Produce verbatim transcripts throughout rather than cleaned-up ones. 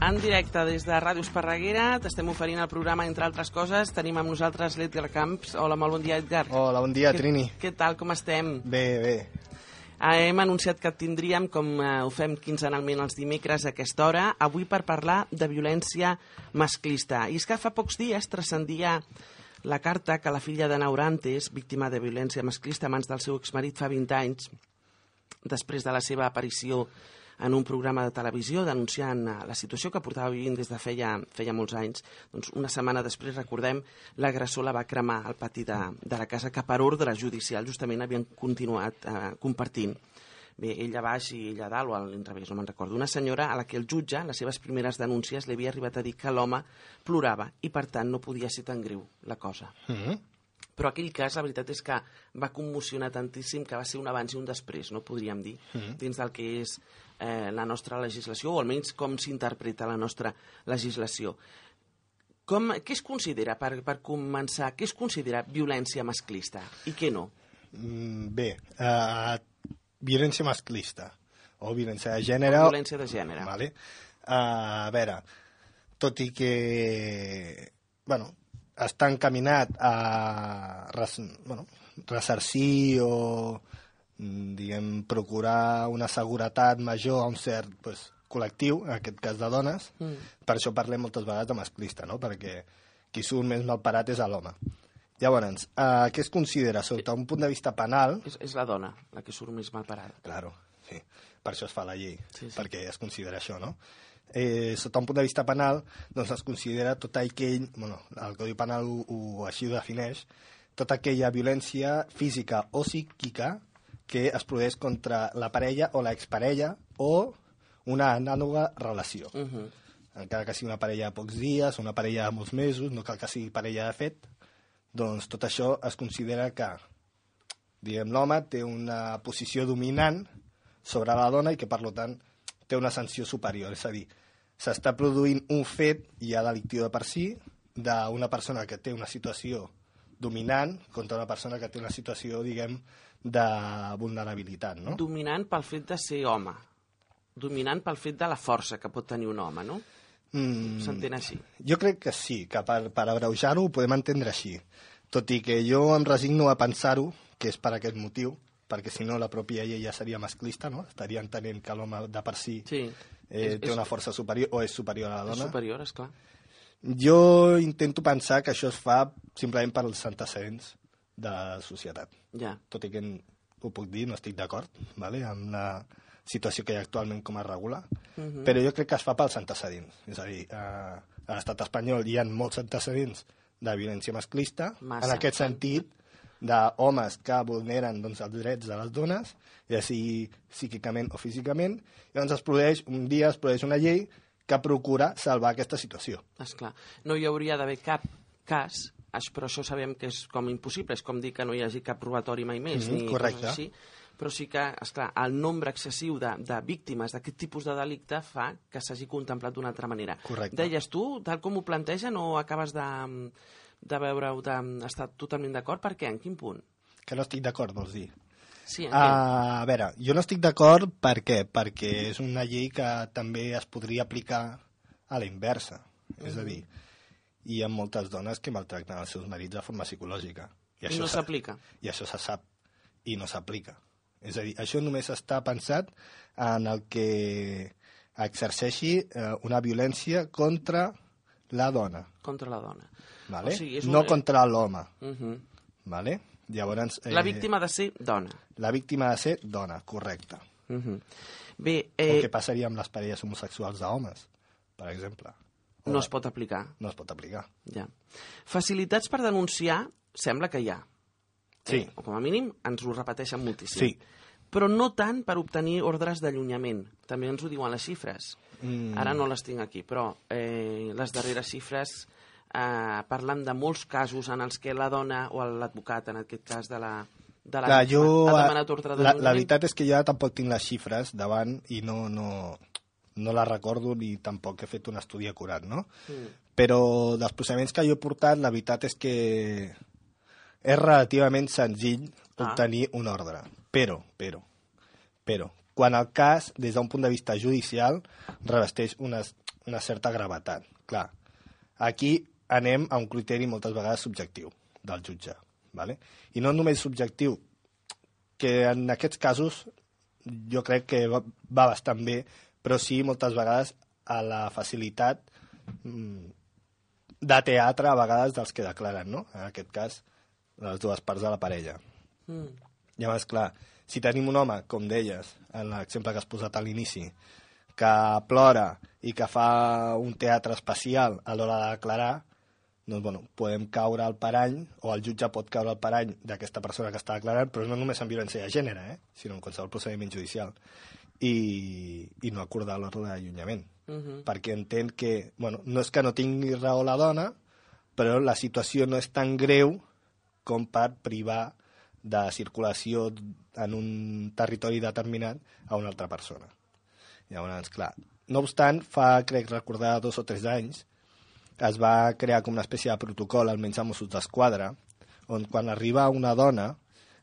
En directe des de Ràdio Esparreguera t'estem oferint el programa, entre altres coses. Tenim amb nosaltres l'Edgar Camps. Hola, molt bon dia, Edgar. Hola, bon dia, Què- Trini. Què tal, com estem? Bé, bé. Ah, hem anunciat que et tindríem, com eh, ho fem quinzenalment els dimecres a aquesta hora, avui per parlar de violència masclista. I és que fa pocs dies transcendia la carta que la filla de Naurantes, víctima de violència masclista a mans del seu exmarit fa vint anys, després de la seva aparició en un programa de televisió denunciant eh, la situació que portava vivint des de feia, feia molts anys. Doncs una setmana després, recordem, l'agressor la va cremar al pati de, de la casa que per ordre judicial justament havien continuat eh, compartint. Bé, ella a baix i ella a dalt, o a l'inrevés, no me'n recordo. Una senyora a la que el jutge, en les seves primeres denúncies, li havia arribat a dir que l'home plorava i, per tant, no podia ser tan greu la cosa. Mm-hmm. Però aquell cas, la veritat és que va commocionar tantíssim que va ser un abans i un després, no podríem dir, Mm-hmm. dins del que és eh, la nostra legislació, o almenys com s'interpreta la nostra legislació. Com, què es considera, per, per començar, què es considera violència masclista i què no? Mm, bé, uh, violència masclista o violència de gènere... O violència de gènere. Vale. Uh, a veure, tot i que... Bueno, està encaminat a res, bueno, ressarcir o diguem, procurar una seguretat major a un cert pues, col·lectiu, en aquest cas de dones, mm. per això parlem moltes vegades de masclista, no? Perquè qui surt més malparat és l'home. Llavors, eh, què es considera sota un punt de vista penal? És, és la dona la que surt més malparada. Claro, sí. Per això es fa la llei, sí, sí. perquè es considera això, no? Eh, sota un punt de vista penal, doncs es considera tot aquell, bueno, el Codi Penal ho, ho, així ho defineix, tota aquella violència física o psíquica que es produeix contra la parella o l'exparella o una anàloga relació. Uh -huh. Encara que sigui una parella de pocs dies, una parella de molts mesos, no cal que sigui parella de fet, doncs tot això es considera que, diguem, l'home té una posició dominant sobre la dona i que, per tant, té una sanció superior. És a dir, s'està produint un fet ja delictiu de per si d'una persona que té una situació dominant contra una persona que té una situació, diguem, de vulnerabilitat, no? Dominant pel fet de ser home. Dominant pel fet de la força que pot tenir un home, no? Mm, S'entén així? Jo crec que sí, que per, per abreujar-ho ho podem entendre així. Tot i que jo em resigno a pensar-ho, que és per aquest motiu, perquè si no la pròpia llei ja seria masclista, no? Estaria entenent que l'home de per si sí. eh, és, té una força superior o és superior a la dona. És superior, esclar. Jo intento pensar que això es fa simplement pels antecedents de la societat. Ja. Tot i que ho puc dir, no estic d'acord, ¿vale? Amb la situació que hi ha actualment com es regula, uh -huh. però jo crec que es fa pels antecedents. És a dir, a, a l'estat espanyol hi ha molts antecedents de violència masclista, Massa. en aquest sentit, d'homes que vulneren doncs, els drets de les dones, ja sigui psíquicament o físicament, i llavors es produeix, un dia es produeix una llei que procura salvar aquesta situació. Esclar, no hi hauria d'haver cap cas, però això sabem que és com impossible, és com dir que no hi hagi cap robatori mai més, Mm-hmm, ni correcte. coses així, però sí que, esclar, el nombre excessiu de, de víctimes d'aquest tipus de delicte fa que s'hagi contemplat d'una altra manera. Correcte. Deies tu, tal com ho plantegen, o acabes de, de veure-ho, d'estar totalment d'acord? Per què? En quin punt? Que no estic d'acord, vols dir? Sí, uh, a veure, jo no estic d'acord per què? Perquè és una llei que també es podria aplicar a la inversa. Mm-hmm. És a dir, hi ha moltes dones que maltracten els seus marits de forma psicològica. I, I no s'aplica. I això se sap, i no s'aplica. És a dir, això només està pensat en el que exerceixi eh, una violència contra la dona. Contra la dona. Vale? O sigui, és no un... contra l'home. Uh-huh. Vale? Llavors, eh... La víctima ha de ser dona. La víctima ha de ser dona, correcte. Uh-huh. Bé, eh... O què passaria amb les parelles homosexuals d'homes, per exemple? O no es pot aplicar. No es pot aplicar. Ja. Facilitats per denunciar sembla que hi ha. Sí. Eh? O com a mínim ens ho repeteixen moltíssim. Sí. Però no tant per obtenir ordres d'allunyament. També ens ho diuen les xifres. Mm. Ara no les tinc aquí, però eh, les darreres xifres eh, parlen de molts casos en els que la dona o l'advocat, en aquest cas de la, de la Clar, jo, ha demanat ordre d'allunyament. La, la veritat és que jo tampoc tinc les xifres davant i no, no, no les recordo ni tampoc he fet un estudi acurat, no? Mm. Però dels procediments que jo he portat, la veritat és que és relativament senzill ah. obtenir un ordre. Però, però, però, quan el cas, des d'un punt de vista judicial, revesteix unes, una certa gravetat. Clar, aquí anem a un criteri moltes vegades subjectiu del jutge, ¿vale? I no només subjectiu, que en aquests casos jo crec que va, va bastant bé, però sí moltes vegades a la facilitat de teatre a vegades dels que declaren, no? En aquest cas, les dues parts de la parella. Mm. Llavors, clar, si tenim un home, com deies, en l'exemple que has posat a l'inici, que plora i que fa un teatre especial a l'hora de declarar, doncs, bueno, podem caure al parany, o el jutge pot caure al parany d'aquesta persona que està declarant, però no només en violència de gènere, eh? Sinó en qualsevol procediment judicial. I, i no acordar l'ordre d'allunyament. Uh-huh. Perquè entén que, bueno, no és que no tingui raó la dona, però la situació no és tan greu com per privar de circulació en un territori determinat a una altra persona. Llavors, clar, no obstant, fa, crec recordar, dos o tres anys, es va crear com una espècie de protocol, almenys a Mossos d'Esquadra, on quan arriba una dona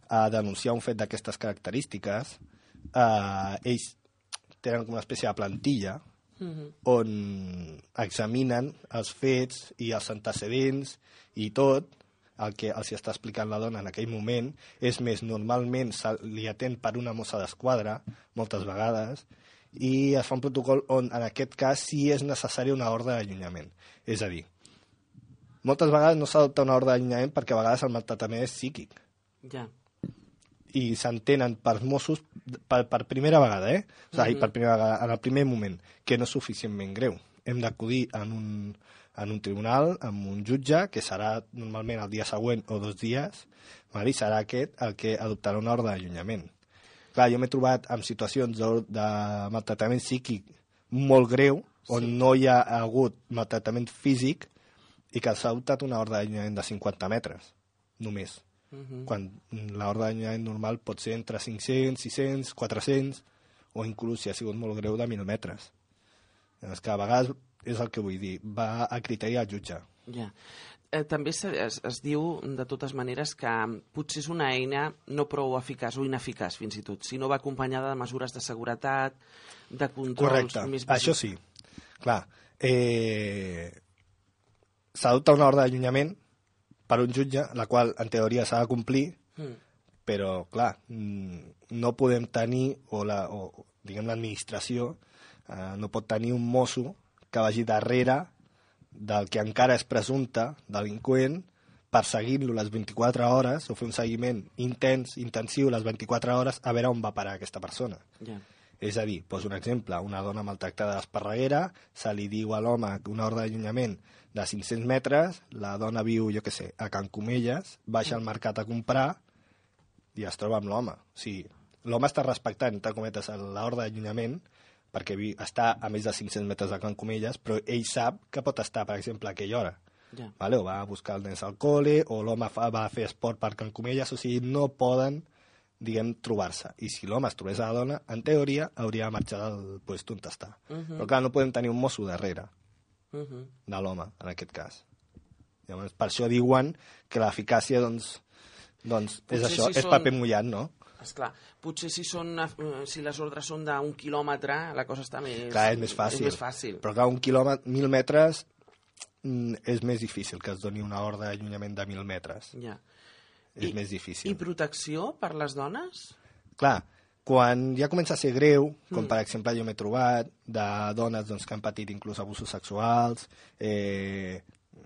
a denunciar un fet d'aquestes característiques, eh, ells tenen com una espècie de plantilla uh-huh. on examinen els fets i els antecedents i tot el que els està explicant la dona en aquell moment. És més, normalment se li atén per una mossa d'esquadra, moltes vegades, i es fa un protocol on, en aquest cas, sí és necessari una ordre d'allunyament. És a dir, moltes vegades no s'adopta una ordre d'allunyament perquè a vegades el maltractament és psíquic. Ja. I s'entenen per Mossos per, per primera vegada, eh? O sigui, mm-hmm. per primera vegada, en el primer moment, que no és suficientment greu. Hem d'acudir en un, en un tribunal, amb un jutge, que serà normalment el dia següent o dos dies, val? I serà aquest el que adoptarà una ordre d'allunyament. Clar, jo m'he trobat en situacions de, de maltractament psíquic molt greu, on sí. no hi ha hagut maltractament físic i que s'ha adoptat una ordre d'allunyament de cinquanta metres, només. Uh-huh. Quan l'ordre d'allunyament normal pot ser entre cinc-cents, sis-cents, quatre-cents, o inclús, si ha sigut molt greu, de mil metres. És que a vegades és el que vull dir, va a criteri al jutge. Ja. Eh, també es, es, es diu, de totes maneres, que potser és una eina no prou eficaç o ineficaç, fins i tot, si no va acompanyada de mesures de seguretat, de controls... Correcte, més això sí. Clar, eh, s'adopta una ordre d'allunyament per un jutge, la qual en teoria s'ha de complir, mm. però, clar, no podem tenir, o, la, o diguem l'administració, eh, no pot tenir un mosso que vagi darrere del que encara és presumpte delinqüent, perseguint-lo les vint-i-quatre hores, o fer un seguiment intens, intensiu, les vint-i-quatre hores, a veure on va parar aquesta persona. Yeah. És a dir, poso un exemple, una dona maltractada d'Esparreguera, se li diu a l'home una ordre d'allunyament de cinc-cents metres, la dona viu, jo què sé, a Can Comelles, baixa al mercat a comprar i es troba amb l'home. O sigui, l'home està respectant, entre cometes, l'ordre d'allunyament, perquè està a més de cinc-cents metres de Can Comelles, però ell sap que pot estar, per exemple, a aquella hora. Yeah. Vale? O va a buscar els nens al col·le, o l'home fa, va a fer esport per Can Comelles, o sigui, no poden, diguem, trobar-se. I si l'home es trobés a la dona, en teoria, hauria de marxar del lloc on està. Uh-huh. Però clar, no podem tenir un mosso darrere uh-huh. de l'home, en aquest cas. Llavors, per això diuen que l'eficàcia, doncs, doncs és això, si és són... paper mullat, no? Esclar, potser si, són, si les ordres són d'un quilòmetre, la cosa està més... Clar, és més fàcil. És més fàcil. Però clar, un quilòmetre, mil metres, és més difícil que es doni una ordre d'allunyament de mil metres. Ja. És I, més difícil. I protecció per les dones? Clar, quan ja comença a ser greu, com mm. per exemple jo m'he trobat, de dones doncs, que han patit inclús abusos sexuals, eh,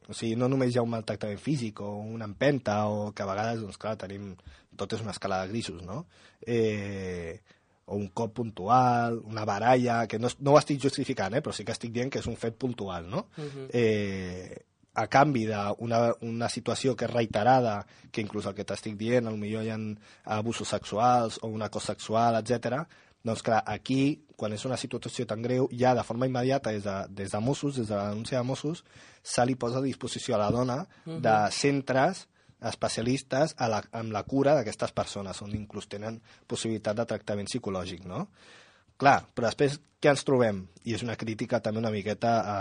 o sigui, no només hi ha un maltractament físic o una empenta, o que a vegades, doncs clar, tenim... tot és una escala de grisos, no? Eh, o un cop puntual, una baralla, que no, no ho estic justificant, eh, però sí que estic dient que és un fet puntual, no? Uh-huh. Eh, a canvi d'una una situació que és reiterada, que inclús el que t'estic dient, potser hi ha abusos sexuals o un acost sexual, etcètera. Doncs clar, aquí, quan és una situació tan greu, ja de forma immediata, des de, des de Mossos, des de la denúncia de Mossos, se li posa a disposició a la dona uh-huh. de centres especialistes a la, amb la cura d'aquestes persones, on inclús tenen possibilitat de tractament psicològic, no? Clar, però després què ens trobem? I és una crítica també una miqueta a...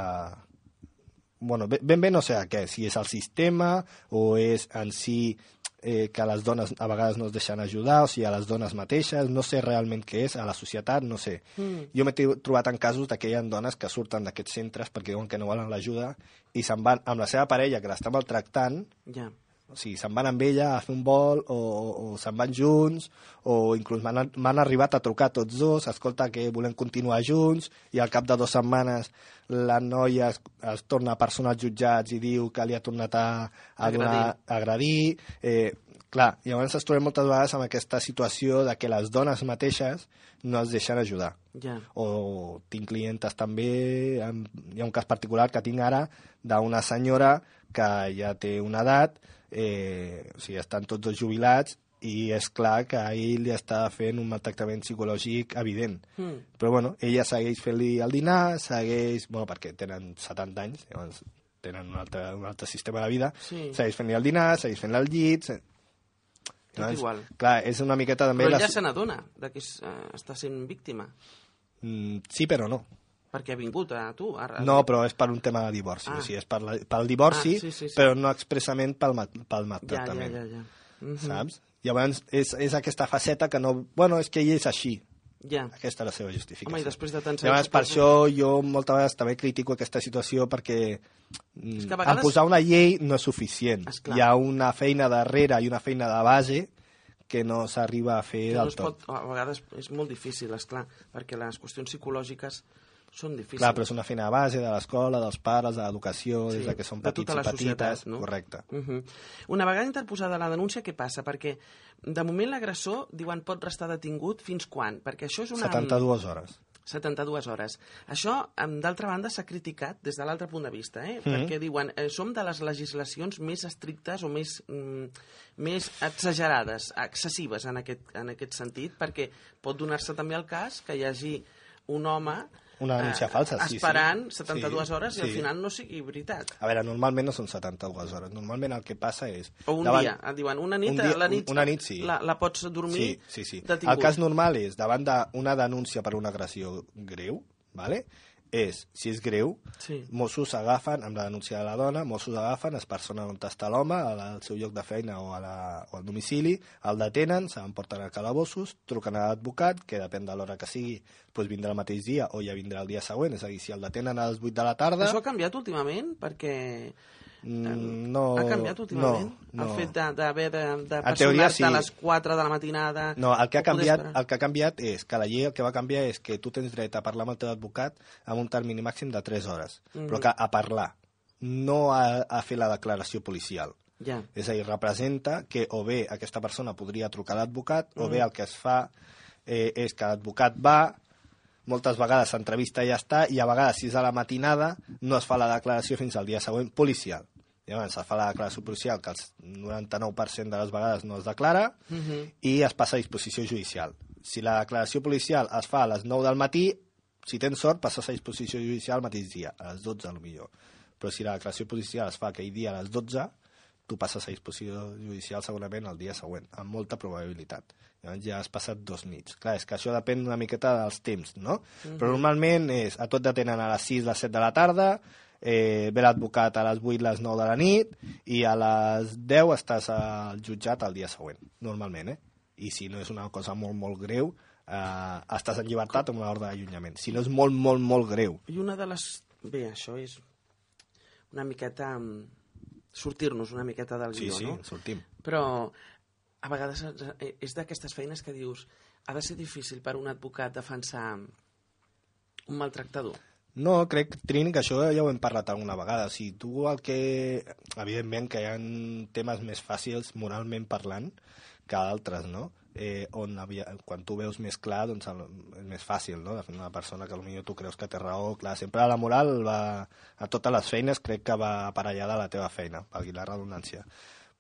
Bueno, ben bé no sé a què, si és el sistema o és en si eh, que les dones a vegades no es deixen ajudar, o sigui, a les dones mateixes, no sé realment què és, a la societat, no sé. Mm. Jo m'he trobat en casos que hi ha dones que surten d'aquests centres perquè diuen que no volen l'ajuda i se'n van amb la seva parella, que l'està maltractant, ja. O sigui, se'n van amb ella a fer un vol o, o, o se'n van junts o inclús m'han arribat a trucar tots dos, escolta, que volem continuar junts i al cap de dues setmanes la noia es, es torna a personar als jutjats i diu que li ha tornat a, a donar a agredir. Eh, clar, llavors ens trobem moltes vegades amb aquesta situació de que les dones mateixes no es deixen ajudar. Ja. O tinc clientes també, hi ha un cas particular que tinc ara d'una senyora que ja té una edat, Eh, o sigui, estan tots dos jubilats i és clar que a ell li està fent un maltractament psicològic evident. Mm. Però bueno, ella segueix fent-li el dinar, segueix... Bueno, perquè tenen setanta anys, llavors tenen un altre, un altre sistema de vida, sí. Segueix fent-li el dinar, segueix fent-li el llit... Se... Tot llavors, igual. Clar, és una miqueta també... Però ella la... se n'adona que és, uh, està sent víctima. Mm, sí, però no. Perquè ha vingut a tu. Ara... No, però és per un tema de divorci. Ah. O sigui, és per la, pel divorci, ah, sí, sí, sí. Però no expressament pel, pel maltractament. Ja, ja, ja. ja. Uh -huh. Saps? Llavors, és, és aquesta faceta que no... Bueno, és que ell és així. Ja. Aquesta és la seva justificació. Home, i després de tants anys... Llavors, per això jo moltes vegades també critico aquesta situació perquè és que a vegades... en posar una llei no és suficient. Esclar. Hi ha una feina darrere i una feina de base que no s'arriba a fer que del no tot. Pot, a vegades és molt difícil, esclar, perquè les qüestions psicològiques són difícils. Clar, però és una feina de base de l'escola, dels pares, de l'educació, sí, des que són petits i petites. Societat, no? Correcte. Uh -huh. Una vegada interposada la denúncia, què passa? Perquè de moment l'agressor, diuen, pot restar detingut fins quan? Perquè això és una... setanta-dues hores. setanta-dues hores. Això, d'altra banda, s'ha criticat des de l'altre punt de vista, eh? Mm -hmm. Perquè diuen, eh, som de les legislacions més estrictes o més, mm, més exagerades, excessives en aquest, en aquest sentit, perquè pot donar-se també el cas que hi hagi un home una denúncia falsa, sí, esperant sí. setanta-dues sí, hores i sí. al final no sigui veritat. A veure, normalment no són setanta-dues hores. Normalment el que passa és... O un davant, dia, et diuen, una nit, un dia, la nit, una nit sí. la, la pots dormir sí, sí, sí. detingut. El cas normal és, davant d'una denúncia per una agressió greu, ¿vale? és, si és greu, sí. Mossos agafen, amb la denúncia de la dona, Mossos agafen, es personen on està l'home, al seu lloc de feina o, a la, o al domicili, el detenen, se l'emporten a calabossos, truquen a l'advocat, que depèn de l'hora que sigui, doncs vindrà el mateix dia o ja vindrà el dia següent, és a dir, si el detenen a les vuit de la tarda... Això ha canviat últimament? Perquè... Mm, no, ha canviat últimament? No, no. El fet d'haver de, de, de personar-te sí. a les quatre de la matinada... No, el que, ha canviat, el que ha canviat és que la llei el que va canviar és que tu tens dret a parlar amb el teu advocat amb un termini màxim de tres hores, mm-hmm. però que a parlar, no a, a fer la declaració policial. Ja. És a dir, representa que o bé aquesta persona podria trucar a l'advocat mm. o bé el que es fa eh, és que l'advocat va, moltes vegades s'entrevista i ja està, i a vegades, si és a la matinada, no es fa la declaració fins al dia següent policial. Llavors es fa la declaració policial, que el noranta-nou per cent de les vegades no es declara, uh-huh. i es passa a disposició judicial. Si la declaració policial es fa a les nou del matí, si tens sort, passes a disposició judicial el mateix dia, a les dotze potser. Però si la declaració policial es fa aquell dia a les dotze, tu passes a disposició judicial segurament el dia següent, amb molta probabilitat. Llavors ja has passat dos nits. Clar, és que això depèn una miqueta dels temps, no? Uh-huh. Però normalment és, a tot detenen a les sis, les set de la tarda, eh, ve l'advocat a les vuit, les nou de la nit, i a les deu estàs al jutjat el dia següent, normalment, eh? I si no és una cosa molt, molt greu, eh, estàs en llibertat amb una ordre d'allunyament. Si no és molt, molt, molt greu. I una de les... Bé, això és una miqueta... sortir-nos una miqueta del guió, sí, sí, no? Sí, sortim. Però a vegades és d'aquestes feines que dius ha de ser difícil per un advocat defensar un maltractador. No, crec, Trini, que això ja ho hem parlat alguna vegada. Si tu el que... Evidentment que hi ha temes més fàcils moralment parlant que d'altres, no? Eh, on havia, quan tu veus més clar, doncs és més fàcil, no? De fer una persona que potser tu creus que té raó. Clar, sempre la moral va, a totes les feines crec que va aparellada a la teva feina, valgui la redundància.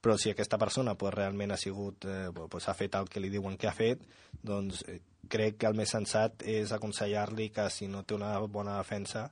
Però si aquesta persona pues, realment ha sigut, eh, pues, ha fet el que li diuen que ha fet, doncs eh, crec que el més sensat és aconsellar-li que si no té una bona defensa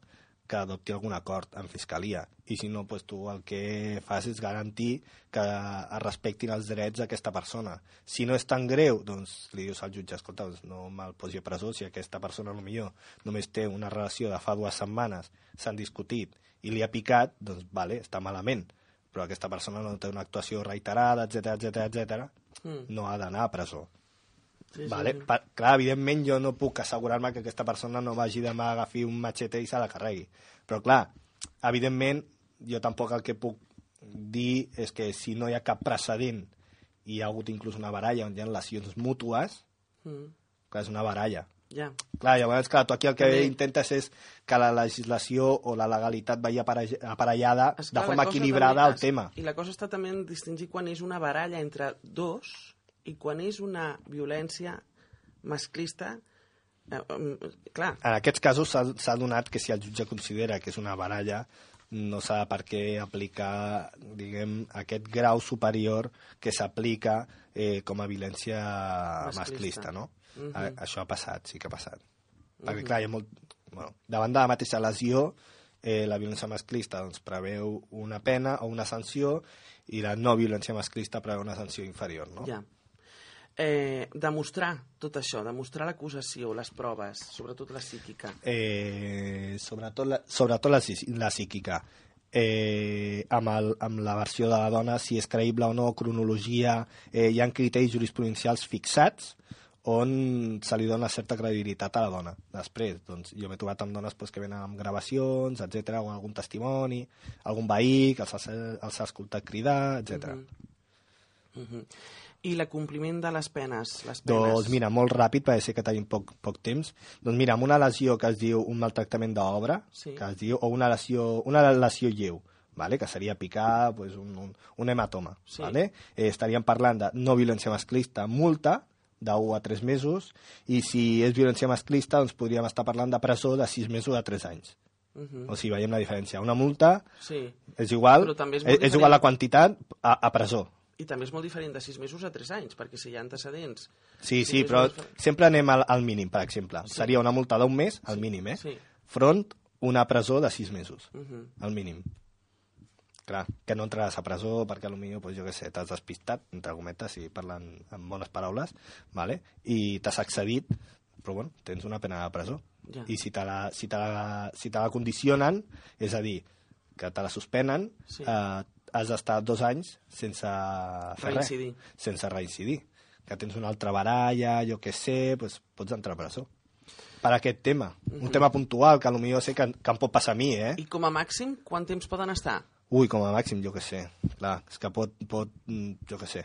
que adopti algun acord en fiscalia, i si no, pues, tu el que fas és garantir que es respectin els drets d'aquesta persona. Si no és tan greu, doncs li dius al jutge, escolta, doncs, no me'l posi a presó, si aquesta persona potser només té una relació de fa dues setmanes, s'han discutit i li ha picat, doncs vale, està malament, però aquesta persona no té una actuació reiterada, etcètera, etcètera, etcètera, mm. no ha d'anar a presó. Sí, vale? sí, sí. Per, clar, evidentment jo no puc assegurar-me que aquesta persona no vagi demà a agafar un machete i se la carregui. Però clar, evidentment jo tampoc el que puc dir és que si no hi ha cap precedent i hi ha hagut inclús una baralla on hi ha lesions mútues, mm. clar, és una baralla. Yeah. Clar, llavors, clar, tu aquí el que També... intentes és que la legislació o la legalitat vagi aparellada Esclar, de forma equilibrada al tema. I la cosa està també en distingir quan és una baralla entre dos i quan és una violència masclista. Eh, um, clar. En aquests casos s'ha donat que si el jutge considera que és una baralla no s'ha per què aplicar, diguem, aquest grau superior que s'aplica eh, com a violència masclista, masclista no? Uh-huh. A, això ha passat, sí que ha passat. Uh-huh. Perquè, clar, hi ha molt... Bueno, davant de la mateixa lesió, eh, la violència masclista doncs, preveu una pena o una sanció i la no violència masclista preveu una sanció inferior, no? Ja. Eh, demostrar tot això, demostrar l'acusació, les proves, sobretot la psíquica. Eh, sobretot la, sobretot la, la psíquica. Eh, amb, el, amb la versió de la dona, si és creïble o no, cronologia, eh, hi ha criteris jurisprudencials fixats on se li dona certa credibilitat a la dona. Després, doncs, jo m'he trobat amb dones pues, que venen amb gravacions, etcètera, o algun testimoni, algun veí que els ha, els ha escoltat cridar, etcètera. Uh-huh. Uh-huh. I l'acompliment de les penes? Les penes? Doncs mira, molt ràpid, perquè sé que tenim poc, poc temps. Doncs mira, amb una lesió que es diu un maltractament d'obra, sí. que es diu, o una lesió, una lesió lleu, vale? Que seria picar pues, un, un, un hematoma. Sí. Vale? Eh, estaríem parlant de no violència masclista, multa, d'un a tres mesos, i si és violència masclista, doncs podríem estar parlant de presó de sis mesos a tres anys. Uh-huh. O sigui, veiem la diferència. Una multa sí. és igual, és, és, és igual la quantitat a, a presó. I també és molt diferent de sis mesos a tres anys, perquè si hi ha antecedents... Sí, sí, però diferent... sempre anem al, al mínim, per exemple. Sí. Seria una multa d'un mes, al mínim, eh? Sí. Front una presó de sis mesos, uh-huh. al mínim. Clar, que no entraràs a presó perquè potser, pues, jo què sé, t'has despistat, entre cometes, si parlen amb bones paraules, vale? I t'has accedit, però bueno, tens una pena de presó. Ja. I si te, la, si, te la, si te la condicionen, és a dir, que te la suspenen, sí. eh, has d'estar dos anys sense fer reincidir. res, sense reincidir. Que tens una altra baralla, jo què sé, pues, pots entrar a presó. Per aquest tema. Uh-huh. Un tema puntual, que potser sé que, que em pot passar a mi, eh? I com a màxim, quant temps poden estar? Ui, com a màxim, jo què sé. Clar, és que pot, pot jo què sé,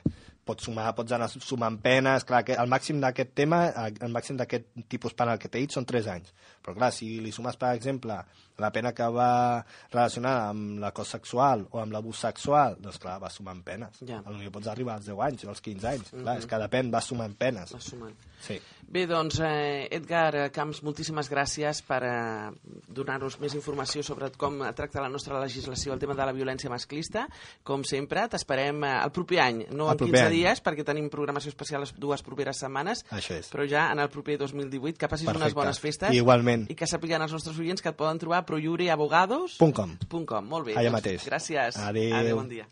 pots sumar, pots anar sumant penes. Clar, que el màxim d'aquest tema, el màxim d'aquest tipus penal que t'he dit són tres anys. Però clar, si li sumes, per exemple, la pena que va relacionada amb l'acost sexual o amb l'abús sexual, doncs clar, vas sumant penes. Ja. Potser pots arribar als deu anys o als quinze anys. Uh-huh. Clar, és que depèn, vas sumant penes. Vas sumant. Sí. Bé, doncs, eh, Edgar Camps, moltíssimes gràcies per eh, donar-nos més informació sobre com tracta la nostra legislació el tema de la violència masclista. Com sempre, t'esperem eh, el proper any, no el en quinze any. dies, perquè tenim programació especial les dues properes setmanes, però ja en el proper dos mil divuit. Que passis Perfecte. unes bones festes. Igualment. I que sapiguen els nostres oients que et poden trobar a proiureabogados punt com. Molt bé. Allà doncs, mateix. Gràcies. Adéu. Adéu, bon dia.